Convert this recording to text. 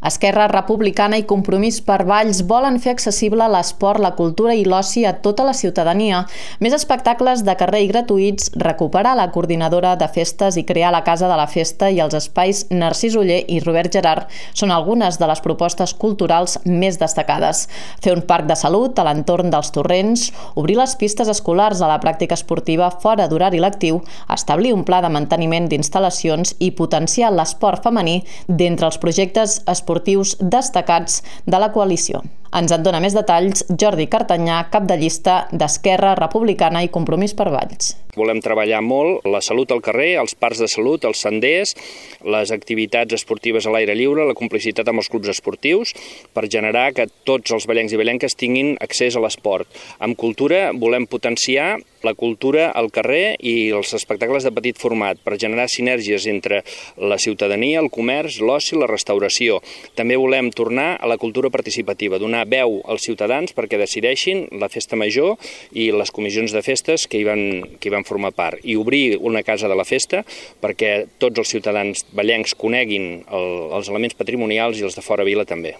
Esquerra Republicana i Compromís per Valls volen fer accessible l'esport, la cultura i l'oci a tota la ciutadania. Més espectacles de carrer i gratuïts, recuperar la coordinadora de festes i crear la Casa de la Festa i els espais Narcís Oller i Robert Gerard són algunes de les propostes culturals més destacades. Fer un parc de salut a l'entorn dels torrents, obrir les pistes escolars a la pràctica esportiva fora d'horari lectiu, establir un pla de manteniment d'instal·lacions i potenciar l'esport femení d'entre els projectes esportius destacats de la coalició. Ens en dona més detalls Jordi Cartanyà, cap de llista d'Esquerra Republicana i Compromís per Valls. Volem treballar molt la salut al carrer, els parcs de salut, els senders, les activitats esportives a l'aire lliure, la complicitat amb els clubs esportius, per generar que tots els vallencs i vallenques tinguin accés a l'esport. Amb cultura volem potenciar la cultura al carrer i els espectacles de petit format per generar sinergies entre la ciutadania, el comerç, l'oci i la restauració. També volem tornar a la cultura participativa, donar veu als ciutadans perquè decideixin la festa major i les comissions de festes que hi van formar part, i obrir una casa de la festa perquè tots els ciutadans vallencs coneguin els elements patrimonials i els de fora vila també.